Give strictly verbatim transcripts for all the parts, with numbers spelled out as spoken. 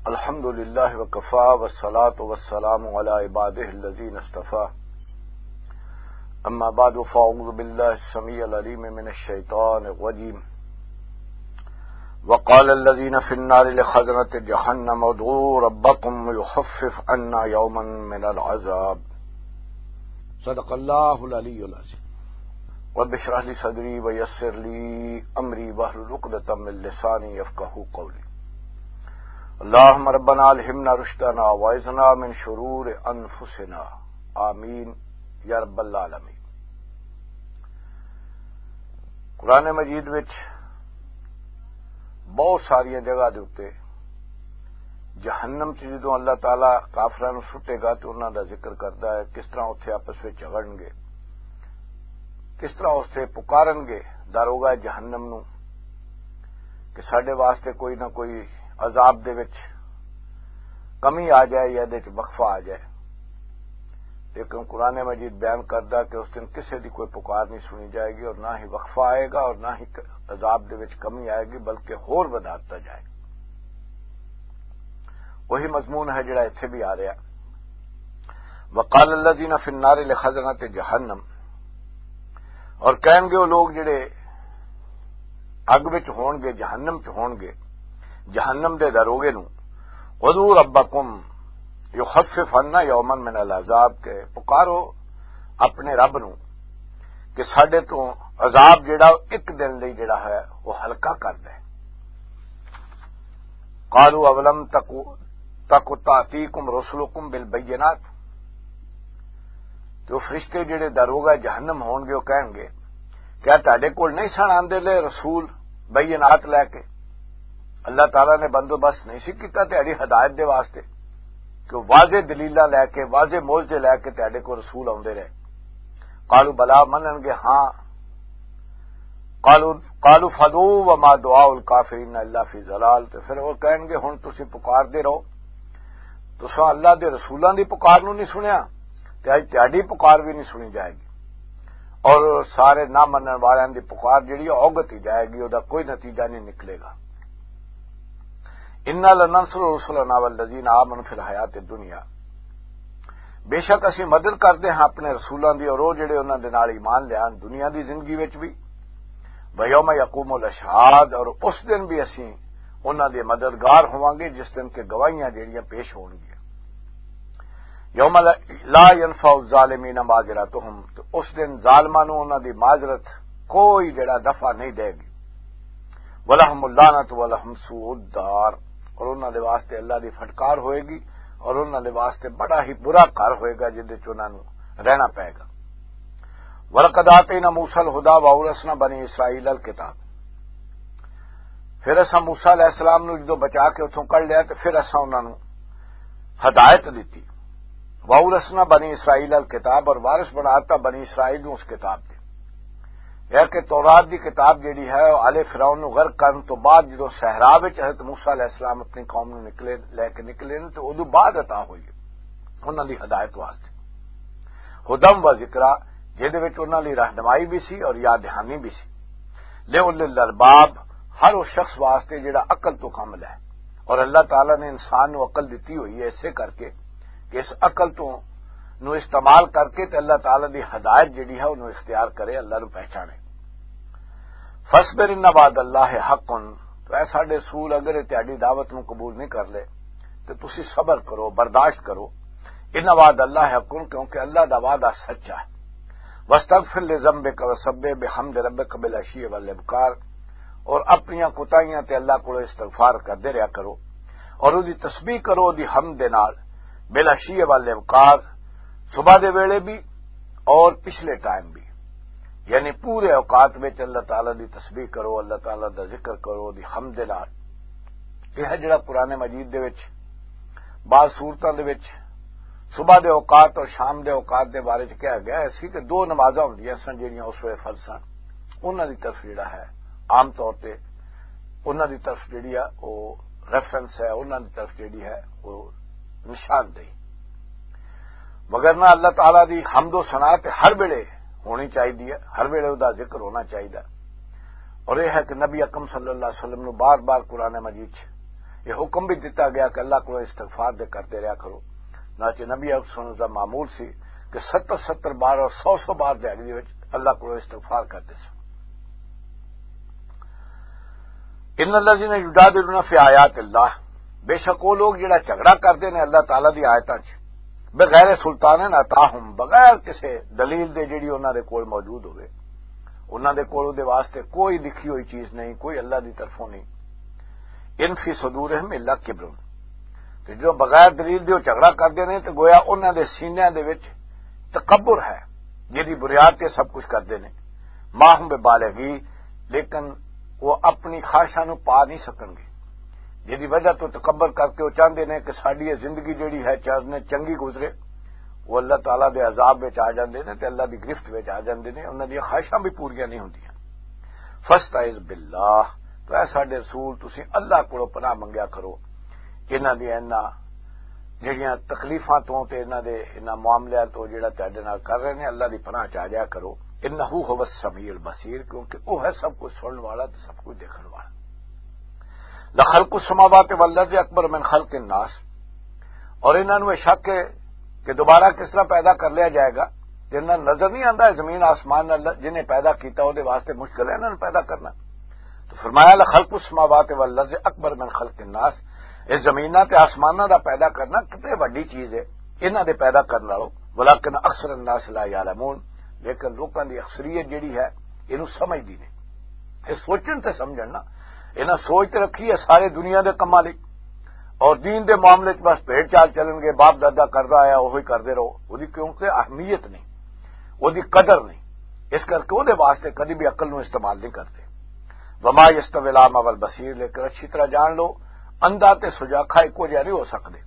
الحمد لله وكفى، والصلاة والسلام على عباده الذين اصطفى. أما بعد، فأعوذ بالله السميع العليم من الشيطان الرجيم. وقال الذين في النار لخزنة جهنم ادعوا ربكم يخفف عنا يوما من العذاب. صدق الله العلي العظيم. رب اشرح لي صدري ويسر لي أمري واحلل عقدة من لساني يفقهوا قولي. اللهم ربنا ألهمنا رشدنا وأعذنا من شرور أنفسنا. آمين يا رب العالمين. قرآن مجید وچ بہت ساریاں جگہ دے اُتے جہنم چ جدوں اللہ تعالیٰ کافراں نوں سٹے گا تے انہاں دا ذکر کردا ہے، کس طرح اوتھے آپس وچ جھگڑن گے، کس طرح اوتھے پکارن گے داروغہ جہنم نوں کہ ساڈے واسطے کوئی نہ کوئی عذاب دے وچ کمی آ جائے یا دے وچ وقفہ آ جائے۔ لیکن قرآن مجید بیان کردا کہ اس دن کسے دی کوئی پکار نہیں سنی جائے گی اور نہ ہی وقفہ آئے گا اور نہ ہی عذاب دے وچ کمی آئے گی، بلکہ ہور ودھا دتا جائے گا۔ وہی مضمون ہے جڑا ایتھے بھی آ رہا۔ وقال الذين في النار لخزنة جهنم، اور کہن گے وہ لوگ جڑے اگ وچ ہون گے، جہنم چ ہون گے، جہنم دے داروغے نو، "ادعوا ربکم یخفف عنا یوما من العذاب"، کہ پکارو اپنے رب نو کہ ساڈے تو عذاب جڑا ایک دن لئی جڑا ہے وہ ہلکا کر دے۔ قالوا اولم تک تک تاتیکم رسلکم بالبینات، تو فرشتے جڑے داروغہ جہنم ہون گے وہ کہن گے، کیا تہاڈے کول نہیں سن آندے لے رسول بینات لے کے؟ اللہ تعالیٰ نے بندوبست نہیں سی کیتا تہاڈی ہدایت دے واسطے کہ وہ واضح دلیلاں لے کے، واضح معجزے لے کے تہاڈے کول رسول آندے رہے؟ قالوا بلا، منن گے ہاں۔ قالوا قالوا فذو وما دعاء الکافرین الا فی ضلال، تے پھر وہ کہن گے ہن تسی پکار دے رہو، تساں اللہ دے رسولاں دی پکار نو نہیں سنیا، تے اج تہاڈی پکار بھی نہیں سنی جائے گی۔ اور سارے نہ منن والیاں دی پکار جڑی ہے، اوگت ہی جائے گی، او دا کوئی نتیجہ نہیں نکلے گا۔ انا لننصر رسلنا والذین آمنوا فی الحیات الدنیا، بے شک اسی مدد کردے ہاں اپنے رسولاں دی اور او جڑے انہاں دے نال ایمان لیا دنیا دی زندگی وچ بھی، ویوم یقوم الاشہاد، اور اس دن بھی اسی انہاں دے مددگار ہوواں گے جس دن کہ گواہیاں جڑیاں پیش ہون گیاں۔ یوم لا، لا ینفع الظالمین معذرتہم، تو اس دن ظالماں نوں انہاں دی معذرت کوئی جڑا دفع نہیں دے گی۔ ولہم اللعنت ولہم سوء الدار، اور انہاں دے واسطے اللہ دی پھٹکار ہوئے گی اور انہاں دے واسطے بڑا ہی برا گھر ہوئے گا جس وچ انہاں نوں رہنا پائے گا۔ ولقد آتینا موسی الہدی واورثنا بنی اسرائیل الکتاب، پھر اساں موسی علیہ السلام نوں جدوں بچا کے اتھوں کڈ لیا تے پھر اساں انہاں نوں ہدایت دتی۔ واورثنا بنی اسرائیل الکتاب، اور وارث بنا دتا بنی اسرائیل نوں اس کتاب دے۔ یہ کہ تورات دی کتاب جیڑی ہے، وہ آل فرعون نوں غرق کرن تو بعد جدوں صحرا وچ حضرت موسی علیہ السلام اپنی قوم نوں نکلے، لے کے نکلے نے، تو ادوں بعد عطا ہوئی ہے انہاں دی ہدایت واسطے۔ ہدم و ذکرا، جہدے وچ انہاں لئی رہنمائی بھی سی اور یاد دہانی بھی سی۔ لے اول الالباب، ہر اس شخص واسطے جڑا عقل تو کم لے۔ اور اللہ تعالیٰ نے انسان نو عقل دتی ہوئی ہے اسے کر کے کہ اس عقل تو نو استعمال کر کے تے اللہ تعالیٰ دی ہدایت جڑی ہے انہوں اختیار کرے، اللہ نو پہچانے۔ فاصبر ان وعد اللہ حق، تو اے ساڈے رسول اگر یہ تہاڈی دعوت نو قبول نہیں کر لے تے تسی صبر کرو، برداشت کرو۔ ان وعد اللہ حق، کیونکہ اللہ دا وعدہ سچا ہے۔ واستغفر لذنبک وسبح بحمد ربک بالعشی والابکار، اور اپنیاں کوتاہیاں تے اللہ کولوں استغفار کردے رہیا کرو، اور اودی تسبیح کرو، اودی حمد دے نال، بالعشی والابکار، صبح دے ویلے بھی اور پچھلے ٹائم بھی، یعنی پورے اوقات وچ اللہ تعالیٰ دی تسبیح کرو، اللہ تعالیٰ دا ذکر کرو، اودی حمد دے نال۔ یہ ہے جڑا قرآن مجید دے وچ بعض صورتاں دے وچ صبح دے اوقات اور شام دے اوقات دے بارے چ کہا گیا ہے سی کہ دو نمازاں ہوندیاں سن جڑیاں اس ویلے فرض سن، انہاں دی طرف جڑا ہے عام طور تے انہاں دی طرف جڑی ہے وہ ریفرنس ہے، انہاں دی طرف جڑی ہے وہ نشاندہی۔ مگر نہ، اللہ تعالیٰ دی حمد و ثنا تے ہر ویلے ہونی چاہیے، ہر ویلے دا ذکر ہونا چاہیے۔ اور یہ ہے کہ نبی اکرم صلی اللہ علیہ وسلم نو بار بار قرآن مجید چ یہ حکم بھی دتا گیا کہ اللہ کو استغفار دے کرتے رہا کرو۔ نہ کہ نبی اکرم صلی اللہ علیہ وسلم معمول سی کہ ستر ستر بار اور سو سو بار دیہاڑی دے وچ اللہ کو استغفار کرتے سن۔ ان الذین یجادلون فی آیات اللہ، بے شک وہ لوگ جڑا جھگڑا کردے نے اللہ تعالیٰ دی آیتاں 'چ، بغیر سلطان اتاہم، بغیر کسے دلیل دے جڑی انہاں دے کول موجود ہوئے، انہاں دے کول دے واسطے کوئی لکھی ہوئی چیز نہیں، کوئی اللہ دی طرفوں نہیں۔ ان فی صدورہم الا کبر، تے جو بغیر دلیل دے وہ جھگڑا کردے نے تے گویا انہاں دے سینیاں دے وچ تکبر ہے، جدی بنیاد تے سب کچھ کردے نے۔ ما ہم ببالغی، لیکن وہ اپنی خواہشاں نوں پا نہیں سکن گے، جدی وجہ تو تکبر کر کے وہ چاہندے نے کہ ساڈی یہ زندگی جڑی ہے چاہنے چنگی گزرے۔ وہ اللہ تعالیٰ دے عذاب وچ آ جاندے نے تے اللہ دی گرفت وچ آ جاندے نے، انہاں دی خواہشاں بھی پوریاں نہیں ہوندیاں۔ فاستعذ باللہ، تو اے ساڈے رسول، تسی اللہ کولوں پناہ منگیا کرو انہاں دی، انہاں جڑیاں تکلیفاں تو تے انہاں دے، انہاں معاملیاں تو جڑا تہاڈے نال کر رہے نے، اللہ دی پناہ چ آ جایا کرو۔ انہ هو السمیع البصیر، کیونکہ وہ ہے سب کچھ سنن والا تے سب کچھ دیکھن والا۔ لخلق السماوات والارض اکبر من خلق الناس، اور انہاں نوں یہ شک ہے کہ دوبارہ کس طرح پیدا کر لیا جائے گا، جنہاں نظر نہیں آندا ہے زمین آسمان اللہ جنہیں پیدا کیتا، وہ دے واسطے مشکل ہے انہاں نوں پیدا کرنا۔ تو فرمایا، لخلق السماوات والارض اکبر من خلق الناس، اس زمیناں تے آسماناں دا پیدا کرنا کتے وڈی چیز ہے انہاں دے پیدا کرن نالوں، ولکن اکثر الناس لا یعلمون، لیکن لوکاں دی اکثریت جڑی ہے اینوں سمجھدی نہیں۔ یہ سوچن تے سمجھن نا، انہاں سوچ تے رکھی ہے سارے دنیا دے کماں لئی، اور دین دے معاملے چ بس بھیڑ چال چلن گے، باپ دادا کردا آیا وہی کردے رہو، وہدی کیونکہ اہمیت نہیں، وہدی قدر نہیں، اس کر کے وہدے واسطے کدی بھی عقل نوں استعمال نہیں کردے۔ وما یستوی الاعمی والبصیر، لیکن اچھی طرح جان لو، اندھا تے سجاکھا ایکو جہا نہیں ہو سکدے۔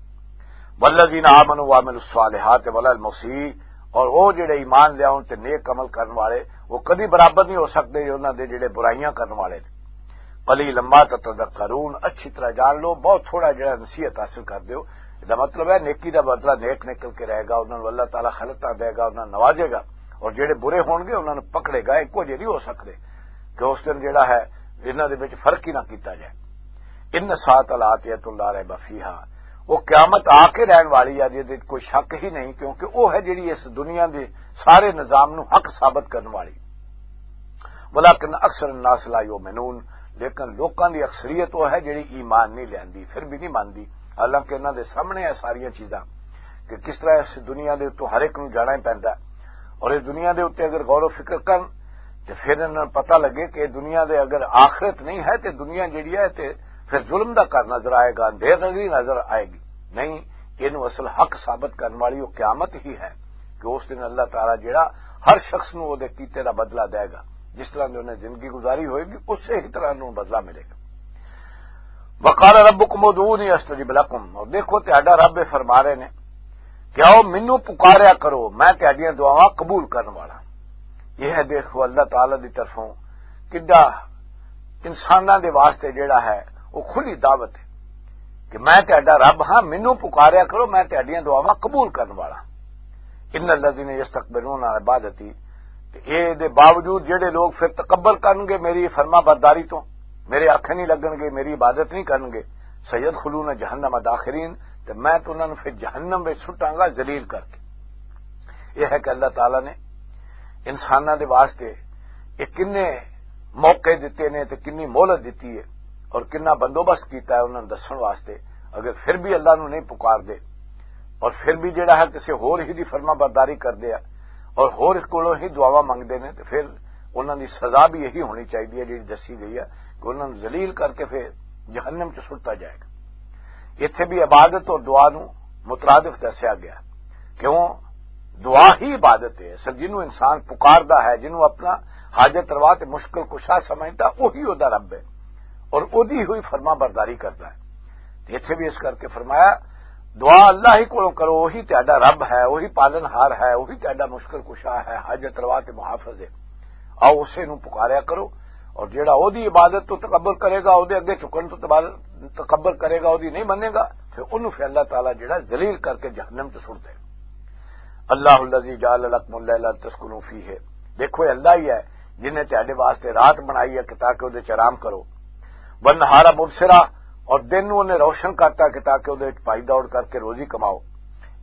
والذین آمنوا وعملوا الصالحات ولا المسیء، اور وہ جڑے ایمان لے آؤن تے نیک عمل کرن والے، وہ کدی برابر نہیں ہو سکدے انہاں دے جڑے برائیاں کرن والے نے۔ قلیلا ما تتذکرون، اچھی طرح جان لو، بہت تھوڑا جڑا نصیحت حاصل کر دیو۔ دا مطلب ہے نیکی دا بدلہ نیک نکل کے رہے گا، انہاں نوں اللہ تعالیٰ خلطاں دے گا، انہاں نوں نوازے گا، اور جڑے برے ہون گے انہاں نوں پکڑے گا۔ ایکو جہے نہیں ہو سکدے کہ اس دن جڑا ہے انہاں دے وچ فرق ہی نہ کیتا جائے۔ ان الساعۃ لآتیۃ لا ریب فیہا، وہ قیامت آ کے رہن والی ہے، جس کوئی شک ہی نہیں، کیونکہ وہ ہے جڑی اس دنیا دے سارے نظام نوں حق ثابت کرن والی۔ ولکن اکثر الناس لا یؤمنون، لیکن لوکاں دی اکثریت وہ ہے جڑی ایمان نہیں لیندی، پھر بھی نہیں ماندی، حالانکہ انہاں دے سامنے ہے ساریاں چیزاں کہ کس طرح اس دنیا دے اتوں ہر ایک نوں جانا ہی پیندا ہے۔ اور اس دنیا دے اُتے اگر غور و فکر کرن تے پھر انہاں نوں پتہ لگے کہ دنیا دے اگر آخرت نہیں ہے تے دنیا جڑی ہے تے پھر ظلم دا گھر نظر آئے گا، اندھیر نظری نظر آئے گی۔ نہیں، اینوں اصل حق ثابت کرن والی وہ قیامت ہی ہے کہ اس دن اللہ تعالیٰ جڑا ہر شخص نوں وہ دے کیتے دا بدلہ دے گا، جس طرح دی انہیں زندگی گزاری ہوئے گی، اسی ہی طرح انہوں بدلہ ملے گا۔ وقال ربکم ادعونی استجب لکم، اور دیکھو تہاڈا رب یہ فرما رہے نے کہ آؤ مینوں پکاریا کرو، میں تہاڈیاں دعاواں قبول کرن والا۔ یہ ہے، دیکھو، اللہ تعالیٰ دی طرفوں کڈا انساناں دے واسطے جڑا ہے وہ کھلی دعوت ہے کہ میں تہاڈا رب ہاں، مینوں پکاریا کرو، میں تہاڈیاں دعاواں قبول کرن والا۔ ان الذین یستکبرون عن عبادتی، تے اے دے باوجود جڑے لوگ پھر تکبر کرن گے میری فرما برداری تو، میرے آکھے نہیں لگن گے، میری عبادت نہیں کرن گے، سیدخلون جہنم داخرین، تے میں تو انہاں نوں پھر جہنم وچ سٹاں گا ذلیل کر کے۔ یہ ہے کہ اللہ تعالیٰ نے انساناں دے واسطے یہ کنے موقع دتے نے تے کنی مہلت دتی ہے اور کنا بندوبست کیتا ہے انہاں نوں دسن واسطے۔ اگر پھر بھی اللہ نوں نہیں پکار دے اور پھر بھی جڑا ہے کسے ہور ہی دی فرما برداری کر دے اور ہور اس کولوں ہی دعاواں منگ دے نے، تے پھر انہاں دی سزا بھی یہی ہونی چاہیے جڑی دسی گئی ہے کہ انہاں نوں ذلیل کر کے پھر جہنم چ سٹتا جائے گا۔ اتھے بھی عبادت اور دعا نوں مترادف دسیا گیا۔ کیوں؟ دعا ہی عبادت ہے۔ سر، جنوں انسان پکاردا ہے، جنوں اپنا حاجت روا تے مشکل کشا سمجھدا، وہی اودا رب ہے اور اودی ہوئی فرما برداری کردا ہے۔ تے اتھے بھی اس کر کے فرمایا، دعا اللہ ہی کولوں کرو، وہی تہاڈا رب ہے، وہی پالن ہار ہے، وہی تہاڈا مشکل کشا ہے، حاجت روا تے محافظ ہے۔ آؤ اسے نوں پکاریا کرو، اور جیڑا اودی عبادت تو تکبر کرے گا، اودے اگے جھکن تو تبال-، تکبر کرے گا، اودی نہیں منے گا، پھر انہوں پھر اللہ تعالیٰ جیڑا ذلیل کر کے جہنم چ سٹ دے۔ اللہ الذی جعل لکم اللیل تسکنوا فیہ، دیکھو یہ اللہ ہی ہے جن نے تہاڈے واسطے رات بنائی ہے کہ تاکہ اودے چ آرام کرو۔ والنہار مبصرا، اور دن نوں انہیں روشن کرتا کہ تاکہ اودے وچ بھائی دوڑ کر کے روزی کماؤ۔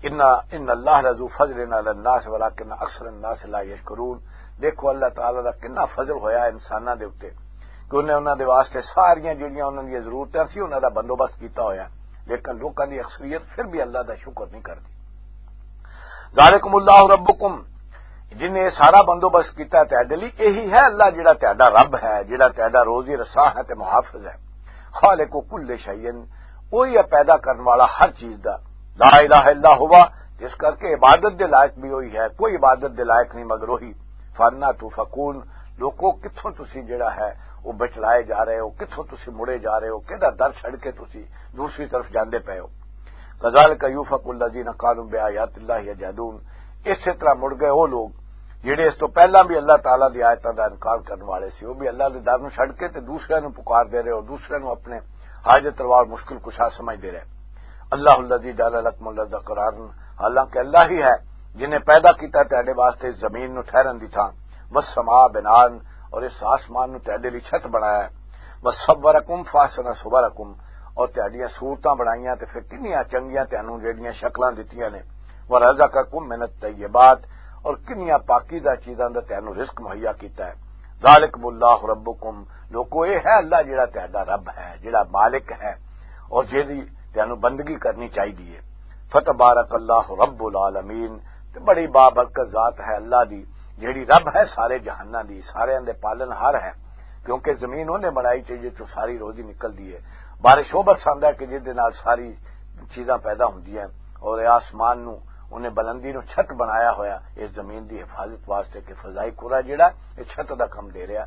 ان ان اللہ لذو فضل علی الناس ولکن اکثر الناس لا یشکرون۔ دیکھو، اللہ تعالیٰ دا کتنا فضل ہویا انساناں دے اُتے کہ انہیں انہاں دے واسطے ساریاں جڑیاں انہاں دیاں ضرورتاں سی، انہاں دا بندوبست کیتا ہویا، لیکن لوکاں دی اکثریت پھر بھی اللہ دا شکر نہیں کردی۔ ذالکم اللہ ربکم، جن نے یہ سارا بندوبست کیتا ہے تہاڈے لئی، یہی ہے اللہ جڑا تہاڈا رب ہے، جڑا تہاڈا روزی رساں ہے تے محافظ ہے۔ خالق کل شیء، وہی ہے پیدا کرن والا ہر چیز دا۔ لا الہ الا ہوا، اس کر کے عبادت دے لائق بھی وہی ہے، کوئی عبادت دے لائق نہیں مگر وہی۔ فانا تؤفکون، لوکو کتھوں تسی جڑا ہے وہ بچلائے جا رہے ہو، کتھوں تسی مڑے جا رہے ہو، کہدا در چھڑ کے تسی دوسری طرف جاندے پے ہو۔ کذالک یؤفک الذین کانوا بآیات اللہ یجحدون، اسی طرح مڑ گئے وہ لوگ جڑے اس تو پہلا بھی اللہ تعالیٰ دی آیتاں دا انکار کرن والے سی، وہ بھی اللہ دے در نوں چھڈ کے تے دوسرے نوں پکار دے رہے ہو، دوسرے نوں اپنے حاجت روا اور مشکل کشا سمجھ دے رہے۔ اللہ الذی جعل لکم الارض قرارا، حالانکہ اللہ ہی ہے جنہیں پیدا کیتا تہاڈے واسطے اس زمین نوں ٹھہرن دی تھاں، والسماء بناء، اور اس آسمان نوں تہاڈے لئی چھت بنایا ہے۔ وصورکم فاحسن صورکم، اور تہاڈیاں صورتاں بنائیاں تے پھر کنیاں چنگیاں تہانوں جیڑیاں شکلاں دتیاں نے۔ ورزقکم من الطیبات، اور کنیاں پاکیزہ چیزاں دا تہانوں رزق مہیا کیتا ہے۔ ذالکم اللہ ربکم، لوکو، یہ ہے اللہ جڑا تہاڈا رب ہے، جڑا مالک ہے، اور جیڑی تہانوں بندگی کرنی چاہیے۔ فتبارک اللہ رب العالمین، تے بڑی بابرکت ذات ہے اللہ دی، جیڑی رب ہے سارے جہاناں دی، سارے دے پالن ہار ہے، کیونکہ زمین انہیں بنائی تے جس چوں ساری روزی نکلدی ہے۔ بارش وہ برساندا ہے کہ جس دے نال ساری چیزاں پیدا ہوندیاں ہیں، اور اے آسمان نوں انہیں بلندی نوں چھت بنایا ہویا اس زمین دی حفاظت واسطے کہ فضائی کرہ جڑا اے چھت دا کم دے رہا۔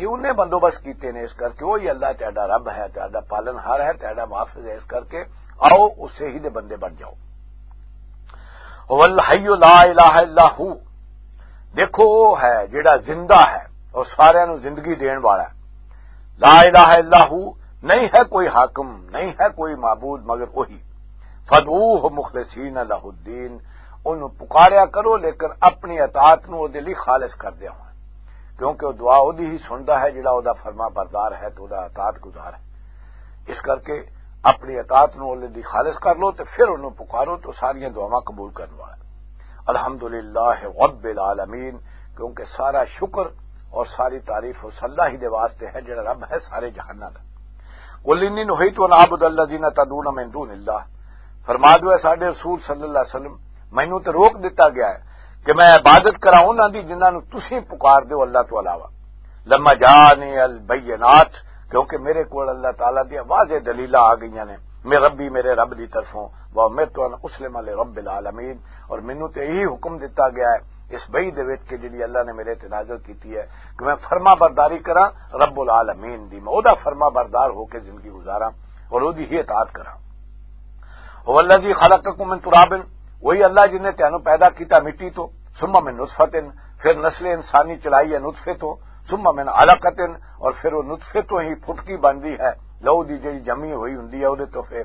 یہ انہیں بندوبست کیتے نے، اس کر کے وہی اللہ تہاڈا رب ہے، تہاڈا پالن ہار ہے، تہاڈا محافظ ہے، اس کر کے آؤ اسے ہی دے بندے بن جاؤ۔ هو الحی لا الہ الا هو، دیکھو وہ ہے جڑا زندہ ہے اور سارے نوں زندگی دین والا ہے۔ لا الہ الا هو، نہیں ہے کوئی حاکم، نہیں ہے کوئی معبود مگر وہی۔ فدعوه مخلصین له الدین، انہوں پکاریا کرو لیکن اپنی اطاعت نوں اودے لئی خالص کردے ہوئے، کیونکہ وہ دعا اودی ہی سندا ہے جڑا اودا فرما بردار ہے تے اودا اطاعت گزار ہے۔ اس کر کے اپنی اطاعت نوں اودے لئی خالص کر لو تے پھر انہوں پکارو تے ساریاں دعاواں قبول کرن والا ہے۔ الحمدللہ رب العالمین، کیونکہ سارا شکر اور ساری تعریف اس اللہ ہی دے واسطے ہے جڑا رب ہے سارے جہاناں دا۔ قل انی نہیت ان اعبد الذین تدعون من دون اللہ، فرما دو اے ساڈے رسول صلی اللہ علیہ وسلم، مینوں تے روک دتا گیا ہے کہ میں عبادت کراں انہاں دی جنہاں نوں تسی پکار دیو اللہ تو علاوہ۔ لما جانی البینات، کیونکہ میرے کول اللہ تعالیٰ دی واضح دلیلاں آ گئیاں نے، میں ربی، میرے رب دی طرفوں، وامرت ان اسلم لرب العالمین، اور مینوں تے یہی حکم دتا گیا ہے اس وحی دے وچ کہ جڑی اللہ نے میرے تے نازل کیتی ہے کہ میں فرما برداری کراں رب العالمین دی، میں اودا فرما بردار ہو کے زندگی گزاراں اور اودی ہی اطاعت کراں۔ هو الذی خلقکم من تراب، وہی اللہ جن نے تینوں پیدا کیتا مٹی تو، ثم من نطفۃ، پھر نسل انسانی چلائی ہے نطفے تو، ثم من علقۃ، اور پھر وہ نطفے تو ہی پھٹکی بندی ہے، لہو دی جڑی جمی ہوئی ہوندی ہے، اودے تو پھر،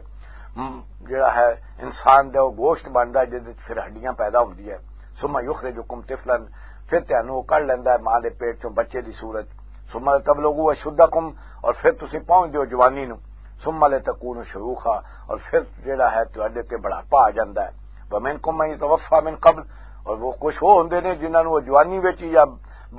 م، جڑا ہے انسان دا وہ گوشت بندا ہے، جس وچ پھر ہڈیاں پیدا ہوندی ہے۔ ثم یخرجکم طفلا، پھر تینوں وہ کڈ لیندا ہے ماں دے پیٹ چوں بچے دی صورت۔ ثم لتبلغوا اشدکم، اور پھر تسی پہنچ دیو جوانی نو۔ ثم لتکونوا شیوخا، اور پھر جڑا ہے تہاڈے تے بڑھاپا آ جاندا ہے۔ ومنکم من یتوفی من قبل، اور وہ کچھ وہ ہوندے نے جنہاں نوں وہ جوانی وچ یا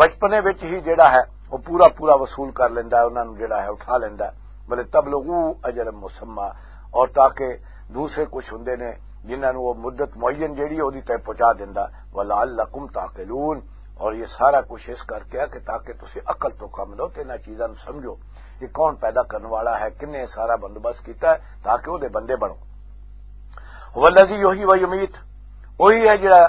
بچپنے وچ ہی جڑا ہے وہ پورا پورا وصول کر لیندا ہے، انہاں نوں جڑا ہے اٹھا لیندا ہے۔ ولتبلغوا اجلا مسمی، اور تاکہ دوسرے کچھ ہوندے نے جنہاں نوں وہ مدت معین جڑی ہے، اودی تے پہنچا دیندا۔ ولعلکم تعقلون، اور یہ سارا کچھ اس کر کے ہے کہ تاکہ تسی عقل تو کم لو تے انہاں چیزاں نوں سمجھو کہ کون پیدا کرن والا ہے، کنے سارا بندوبست کیتا ہے تاکہ اودے بندے بنو۔ هو الذی یحیی و یمیت، وہی ہے جڑا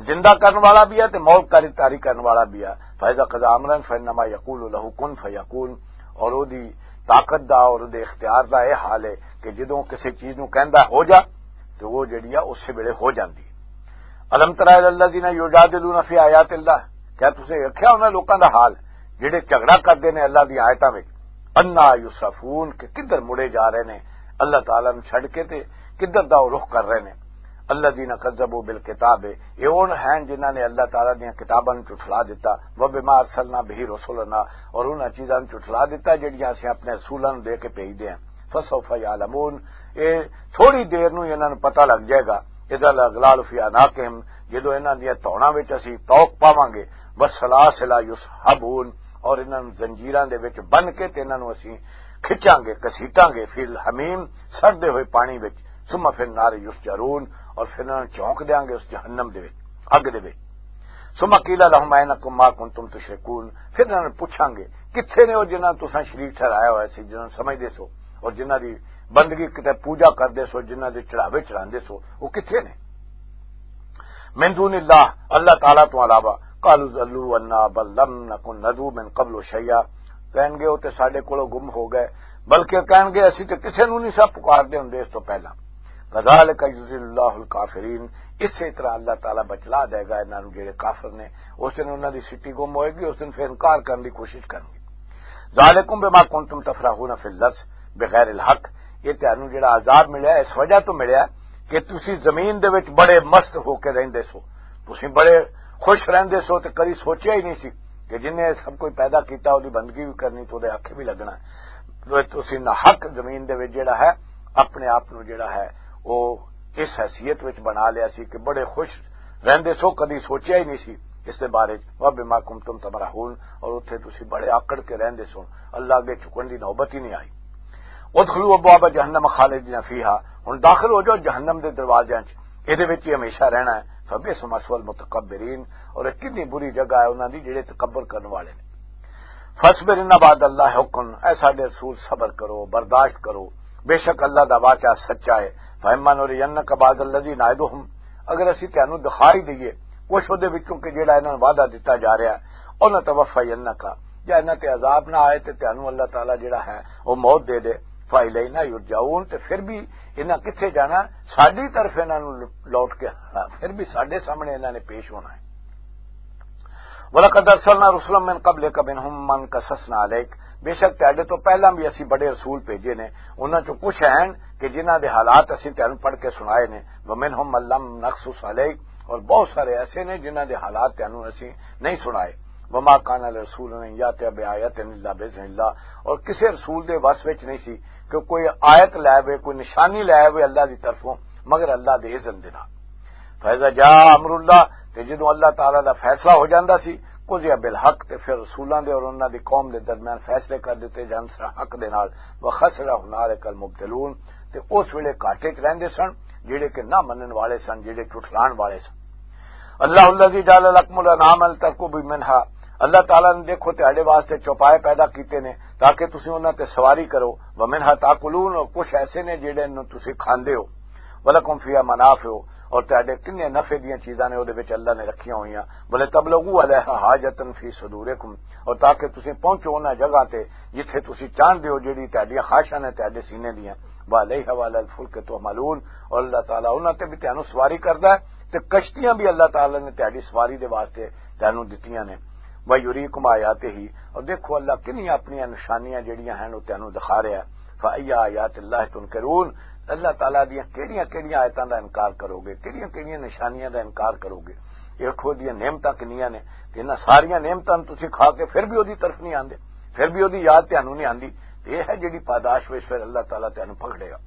زندہ کرن والا بھی ہے تے موت کاری تاری کرن والا بھی ہے۔ فاذا قضا امرا فانما یقول له کن فیکون، اور اودی طاقت دا اور اودے اختیار دا یہ حال ہے کہ جدوں کسی چیز نوں کہندا ہو جا، تے وہ جڑی آ اسے ویلے ہو جاندی۔ الم تر الی الذین یجادلون فی آیات اللہ، کیا تسیں ویکھیا انہاں لوکاں دا حال جڑے جھگڑا کردے نے اللہ دی آیتاں وچ؟ انا یصرفون، کہ کدھر مڑے جا رہے نے اللہ تعالیٰ نوں چھڈ کے تے کدھر دا وہ رخ کر رہے نے۔ الذین کذبوا بالکتاب، یہ ان ہیں جنہاں نے اللہ تعالیٰ دیاں کتاباں نوں جھٹلا دتا، وبما ارسلنا به رسلنا، اور انہاں چیزاں نوں جھٹلا دتا جڑیاں اسیں اپنے رسولاں نوں دے کے بھیجدے ہیں۔ فسوف یعلمون، یہ تھوڑی دیر نوں انہاں نوں پتہ لگ جائے گا۔ اذا الاغلال فی اعناقہم، جدوں انہاں دیاں توڑاں وچ اسی توق پاواں گے، والسلاسل یسحبون، اور انہاں نوں زنجیراں دے وچ بن کے تے انہاں نوں اسی کھچاں گے، کسیٹاں گے، فی الحمیم، سڑدے ہوئے پانی وچ، ثم فی النار یسجرون، اور پھر انہاں نوں چونک دیاں گے اس جہنم دے وچ، اگ دے وچ۔ ثم قیل لهم اینکم ما کنتم تشرکون، پھر انہاں نوں پوچھاں گے، کتھے نے او جنہاں نوں تساں شریک ٹھہرایا ہویا سی، جنہاں نوں سمجھدے سو اور جنہاں دی بندگی کتے پوجا کردے سو، جنہاں دے چڑھاوے چڑھاندے سو، وہ کتھے نے؟ من دون اللہ، اللہ تعالیٰ تو علاوہ۔ قالوا ضلوا عنا بل لم نکن ندعو من قبل شیئا، کہن گے، وہ تے ساڈے کولوں گم ہو گئے، بلکہ کہن گے، اسی تے کسے نوں نہیں سا پکار دے ہوندے اس تو پہلا۔ کذالک یضل اللہ الکافرین، اسی طرح اللہ تعالیٰ بچلا دے گا انہاں نوں جڑے کافر نے۔ اس دن انہاں دی سٹی گم ہوئے گی، اس دن پھر انکار کرن دی کوشش کرن گے۔ ذالکم بما کنتم تفرحون فی الارض بغیر الحق، یہ تانوں جڑا عذاب ملیا اس وجہ تو ملیا کہ تسی زمین دے وچ بڑے مست ہو کے رہندے سو، تسی بڑے خوش رہندے سو تے کدی سوچیا ہی نہیں سی کہ جن نے سب کوئی پیدا کیتا، اودی بندگی بھی کرنی، تو دے آکھے بھی لگنا ہے۔ تو تسی نہ حق زمین دے وچ جڑا ہے، اپنے آپ نو جڑا ہے، وہ اس حیثیت وچ بنا لیا سی کہ بڑے خوش رہندے سو، کدی سوچیا ہی نہیں سی اس دے بارے چ۔ وَبِمَا كُنْتُمْ تَمْرَحُونَ، اور اتھے تسی بڑے آکڑ کے رہندے سو، اللہ اگے جھکن دی نوبت ہی نہیں آئی۔ ادخلوا ابواب جہنم خالدین فیہا، ہن داخل ہو جاؤ جہنم دے دروازیاں چ، اے دے وچ ہی ہمیشہ رہنا ہے۔ فبئس مثوی المتکبرین، اور اے کتنی بری جگہ ہے انہاں دی جڑے تکبر کرن والے نے۔ فاصبر ان وعد اللہ حق، اے ساڈے رسول صبر کرو، برداشت کرو، بے شک اللہ دا وعدہ سچا ہے۔ فاما نرینک بعض الذی نعدہم، اگر اسی تانوں دکھا ہی دئیے کچھ اودے وچوں کہ جڑا انہاں نوں وعدہ دتا جا رہا ہے، او نتوفینک، یا انہاں تے عذاب نہ آئے تے تانوں اللہ تعالیٰ جڑا ہے او موت دے دے، فالینا یرجعون، تے پھر بھی انہاں کتھے جانا؟ ساڈی طرف انہاں نوں لوٹ کے آنا، پھر بھی ساڈے سامنے انہاں نے پیش ہونا ہے۔ وَلَقَدْ أَرْسَلْنَا رُسُلًا مِّن قَبْلِكَ مِنْهُمْ مَنْ قَصَصْنَا عَلَيْكَ، بے شک تہاڈے تو پہلاں بھی اسی بڑے رسول بھیجے نے، انہاں چوں کچھ ہیں کہ جنہاں دے حالات اسی تہانوں پڑھ کے سنائے نے، وَمِنْهُمْ مَنْ لَمْ نَقْصُصْ عَلَيْكَ، اور بہت سارے ایسے نے جنہاں دے حالات تہانوں اسی نہیں سنائے۔ وَمَا كَانَ لِرَسُولٍ أَنْ يَأْتِيَ بِآيَةٍ إِلَّا بِإِذْنِ اللَّهِ، اور کسے رسول دے وس وچ نہیں سی کہ کوئی آیت لے آوے، کوئی نشانی لے آوے اللہ دی طرفوں، مگر اللہ دے اذن دے نال۔ فَإِذَا جَاءَ أَمْرُ اللَّهِ، تے جدوں اللہ تعالیٰ دا فیصلہ ہو جاندا سی، قُضِيَ بِالْحَقِّ، تے پھر رسولاں دے اور انہاں دی قوم دے درمیان فیصلے کر دتے جان سن حق دے نال۔ وَخَسِرَ هُنَالِكَ الْمُبْطِلُونَ، تے اس ویلے گھاٹے چ رہندے سن جڑے کہ نہ منن والے سن، جڑے جھٹلان والے سن۔ اللہ الذی جعل لکم الانعام لترکبوا منہا، اللہ تعالیٰ نے، دیکھو، تہاڈے واسطے چوپائے پیدا کیتے نے تاکہ تسی انہاں تے سواری کرو۔ ومنہا تاکلون، اور کچھ ایسے نے جڑے نوں تسی کھاندے ہو۔ ولکم فیہا منافع، اور تہاڈے کنے نفع دیاں چیزاں نے اودے وچ اللہ نے رکھیاں ہوئیاں۔ ولتبلغوا علیہا حاجتا فی صدورکم، اور تاکہ تسی پہنچو انہاں جگہ تے جتھے تسی چاہندے ہو، جڑی تہاڈیاں خواہشاں نے تہاڈے سینے دیاں۔ وعلیہا وعلی الفلک تحملون، اور اللہ تعالیٰ انہاں تے بھی تہانوں سواری کردا ہے، تے کشتیاں بھی اللہ تعالیٰ نے تہاڈی سواری دے واسطے تہانوں دتیاں نے۔ وَيُرِيكُمْ آيَاتِهِ، اور دیکھو اللہ کنیاں اپنیاں نشانیاں جڑیاں ہن او تہانوں دکھا رہا ہے۔ فَأَيَّ آيَاتِ اللَّهِ تُنْكِرُونَ، اللہ تعالیٰ دیاں کیڑیاں کیڑیاں آیتاں دا انکار کرو گے، کیڑیاں کیڑیاں نشانیاں دا انکار کرو گے؟ دیکھو دیاں نعمتاں کنیاں نے، تے انہاں ساریاں نعمتاں نوں تسی کھا کے پھر بھی اودی طرف نہیں آندے، پھر بھی اودی یاد تہانوں نہیں آندی۔ تے یہ ہے جڑی پاداش وچ پھر اللہ تعالیٰ تہانوں پکڑے گا۔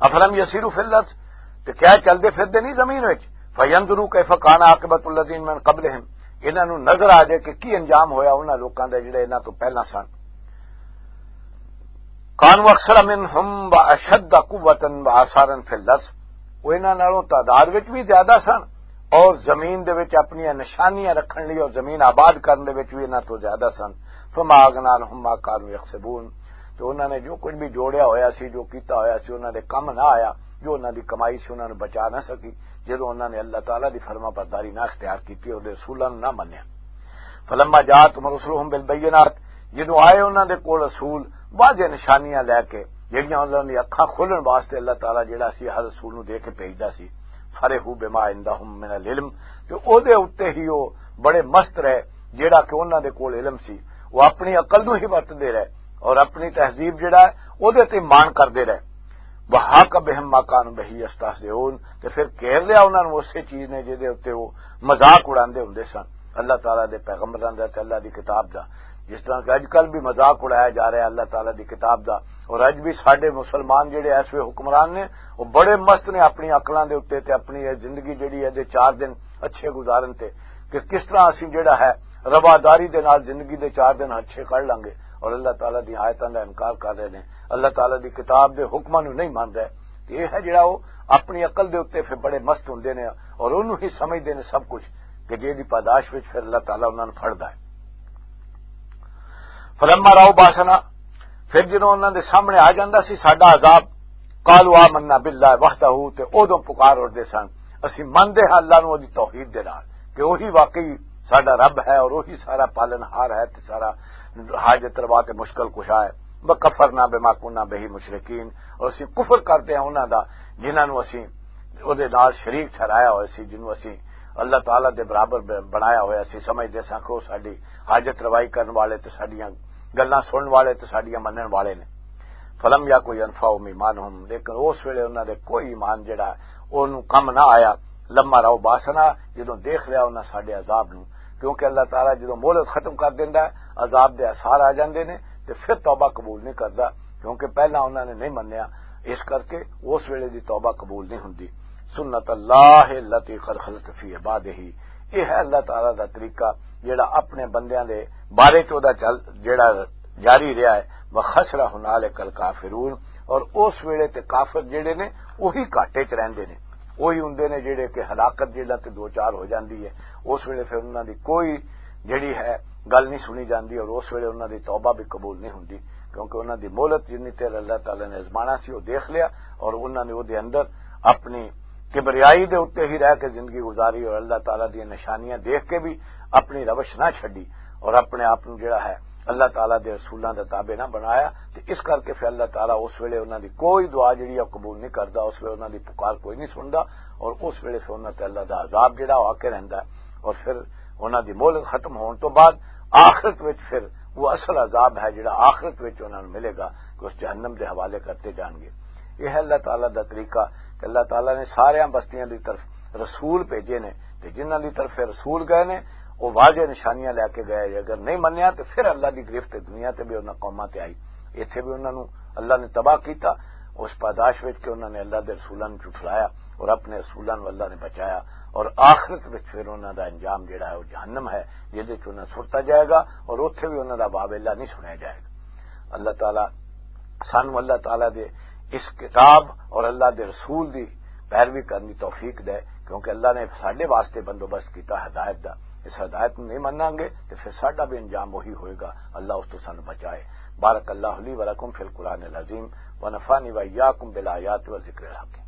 افلم یسیروا فی الارض، تے کیا چلدے پھردے نہیں زمین وچ؟ فینظروا کیف کان عاقبۃ الذین من قبلہم، انہاں نوں نظر آ جائے کہ کی انجام ہویا انہاں لوکاں دا جڑے انہاں تو پہلاں سن۔ کانوا اکثر منہم و اشد قوتا و آثارا فی الارض، وہ انہاں نالوں تعداد وچ بھی زیادہ سن اور زمین دے وچ اپنیاں نشانیاں رکھن لئی اور زمین آباد کرن دے وچ بھی انہاں تو زیادہ سن۔ فما اغنی عنہم ما کانوا یکسبون، تو انہاں نے جو کچھ بھی جوڑیا ہویا سی، جو کیتا ہویا سی، انہاں دے کم نہ آیا، جو انہاں دی کمائی سی انہاں نوں بچا نہ سکی، جدوں انہاں نے اللہ تعالیٰ دی فرما برداری نہ اختیار کیتی اور رسولاں نوں نہ منیا۔ فلما جاءتهم رسلهم بالبینات، جدوں آئے انہاں دے کول رسول واضح نشانیاں لے کے، جڑیاں انہاں دی اکھاں کھولن واسطے اللہ تعالیٰ جڑا سی ہر رسول نوں دے کے بھیجدا سی، فرحوا بما عندهم من العلم، تے او دے اُتے ہی او بڑے مست رہے جڑا کہ انہاں دے کول علم سی، وہ اپنی عقل نوں ہی ورتدے رہے اور اپنی تہذیب جڑا ہے او دے تے مان کردے رہے۔ وحاق بهم ما كانوا به يستهزئون، تے پھر گھیر لیا انہاں نوں اسے چیز نے جدے اُتے وہ مذاق اڑاندے ہوندے سن اللہ تعالیٰ دے پیغمبراں دا تے اللہ دی کتاب دا۔ جس طرح کہ اج کل بھی مذاق اڑایا جا رہا ہے اللہ تعالیٰ دی کتاب دا، اور اج بھی ساڈے مسلمان جڑے ایسے حکمران نے، وہ بڑے مست نے اپنی عقلاں دے اُتے تے اپنی یہ زندگی جڑی ہے دے چار دن اچھے گزارن تے، کہ کس طرح اسی جڑا ہے رواداری دے نال زندگی دے چار دن اچھے کر لانگے، اور اللہ تعالیٰ دی آیتاں دا انکار کر رہے نے، اللہ تعالیٰ دی کتاب دے حکماں نوں نہیں مان رہے۔ تے یہ ہے جڑا وہ اپنی عقل دے اُتے پھر بڑے مست ہوندے نے اور انہوں ہی سمجھدے نے سب کچھ، کہ جے دی پاداش وچ پھر اللہ تعالیٰ انہاں نوں پھڑدا ہے۔ فلما راؤ باسنا، پھر جدوں انہاں دے سامنے آ جاندا سی ساڈا عذاب، قالوا آمنا باللہ وحدہ، تے اودوں پکار اٹھدے سن، اسی مندے ہاں اللہ نوں اودی توحید دے نال، کہ وہی واقعی ساڈا رب ہے اور وہی سارا پالن ہار ہے تے سارا حاجت روا تے مشکل کشا ہے۔ وکفرنا بما کنا بہ مشرکین، اور اسی کفر کرتے ہیں انہاں دا جنہاں نوں اسی اودے نال شریک ٹھہرایا ہویا سی، جنوں اسی اللہ تعالیٰ دے برابر ب-، بنایا ہویا سی، سمجھدے ساں کہ وہ ساڈی حاجت روائی کرن والے تے ساڈیاں گلاں سنن والے تے ساڈیاں منن والے نے۔ فلم یا کوئی انفا ایمانہم، لیکن اس ویلے انہاں دے کوئی ایمان جڑا ہے، اونوں کم نہ آیا۔ لما راؤ باسنا، جدوں دیکھ لیا انہاں ساڈے عذاب نوں، کیونکہ اللہ تعالیٰ جدوں مہلت ختم کر دیندا ہے، عذاب دے اثار آ جاندے نے، تے پھر توبہ قبول نہیں کردا، کیونکہ پہلا انہاں نے نہیں منیا، اس کرکے اس ویلے دی توبہ قبول نہیں ہوندی۔ سنت اللہ التی قد خلت فی عبادہ، یہ ہے اللہ تعالیٰ دا طریقہ جڑا اپنے بندیاں دے بارے چ اوہدا چل جڑا جاری رہا ہے۔ وخسر ہنالک الکافرون، اور اس ویلے تے کافر جڑے نے وہی گھاٹے چ رہندے نے، وہی ہوندے نے جڑے کہ ہلاکت جڑا تے دو چار ہو جاندی ہے، اس ویلے پھر انہاں دی کوئی جڑی ہے گل نہیں سنی جاندی، اور اس ویلے انہاں دی توبہ بھی قبول نہیں ہوندی، کیونکہ انہاں دی مہلت جنی تیر اللہ تعالیٰ نے آزمانا سی وہ دیکھ لیا، اور انہاں نے وہ دے اندر اپنی کبریائی دے اُتے ہی رہ کے زندگی گزاری اور اللہ تعالیٰ دی نشانیاں دیکھ کے بھی اپنی روش نہ چھڈی اور اپنے آپ نوں جڑا ہے اللہ تعالیٰ دے رسولاں دا تابع نہ بنایا۔ تے اس کر کے پھر اللہ تعالیٰ اس ویلے انہاں دی کوئی دعا جڑی ہے قبول نہیں کردا، اس ویلے انہاں دی پکار کوئی نہیں سندا، اور اس ویلے پھر انہاں تے اللہ دا عذاب جڑا آ کے رہندا ہے۔ اور پھر انہاں دی مہلت ختم ہون تو بعد آخرت وچ پھر وہ اصل عذاب ہے جڑا آخرت وچ انہاں نوں ملے گا، کہ اس جہنم دے حوالے کرتے جان گے۔ یہ ہے اللہ تعالیٰ دا طریقہ کہ اللہ تعالیٰ نے سارے بستیاں دی طرف رسول بھیجے نے، تے جنہاں دی طرف رسول گئے نے، وہ واضح نشانیاں لے کے گئے۔ اگر نہیں منیا تو پھر اللہ دی گرفت دنیا تے بھی انہاں قوماں تے آئی، ایتھے بھی انہاں نوں اللہ نے تباہ کیتا۔ اس پاداش وچ کہ انہاں نے اللہ دے رسولاں نوں جھٹلایا اور اپنے رسولاں نوں اللہ نے بچایا، اور آخرت وچ پھر انہاں دا انجام جڑا ہے وہ جہنم ہے، جس وچ انہاں سٹا جائے گا، اور اوتھے بھی انہاں دا واویلا نہیں سنیا جائے گا۔ اللہ تعالیٰ سانو اللہ تعالیٰ دے اس کتاب اور اللہ دے رسول دی پیروی کرن دی توفیق دے، کیونکہ اللہ نے ساڈے واسطے بندوبست کیتا ہدایت دا۔ اس ہدایت نوں نہیں مناں گے تے پھر ساڈا بھی انجام وہی ہوئے گا۔ اللہ اس تو سانو بچائے۔ بارک اللہ لی و لکم فی القرآن العظیم و نفعنی و ایاکم بالآیات و ذکر الحکیم۔